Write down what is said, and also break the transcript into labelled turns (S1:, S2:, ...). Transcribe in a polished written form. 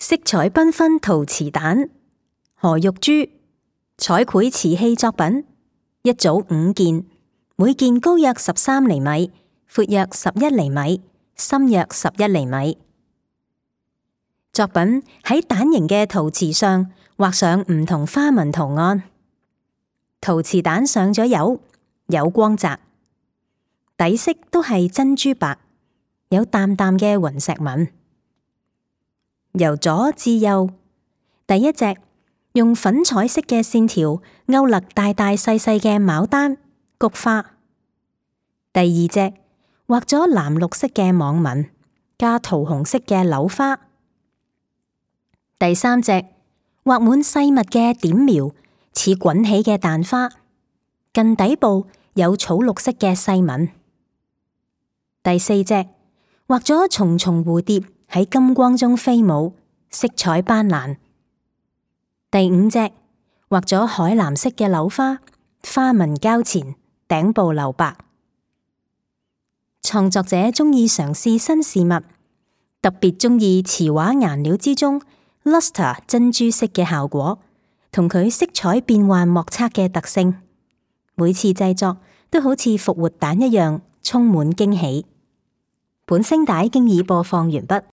S1: 色彩繽紛陶瓷蛋，何玉珠，彩繪瓷器作品，一組5件，每件高約13厘米，闊約11厘米，深約11厘米。作品喺蛋形嘅陶瓷上畫上唔同花紋圖案，陶瓷蛋上咗油，有光澤，底色都係珍珠白，有淡淡嘅雲石紋。由左至右，第一隻用粉彩色嘅線條勾勒大大細細嘅牡丹、菊花；第二隻畫咗藍綠色嘅網紋，加桃紅色嘅柳花；第三隻畫滿細密嘅點描，似滾起嘅蛋花，近底部有草綠色嘅細紋；第四隻畫咗重重蝴蝶喺金光中飛舞，色彩斑斕。第五隻畫咗海藍色嘅柳花，花紋交纏，頂部留白。創作者鍾意嘗試新事物，特別鍾意瓷畫顏料之中 luster 珍珠色嘅效果，同佢色彩變幻莫測嘅特性。每次製作都好似復活蛋一樣，充滿驚喜。本聲帶經已播放完畢。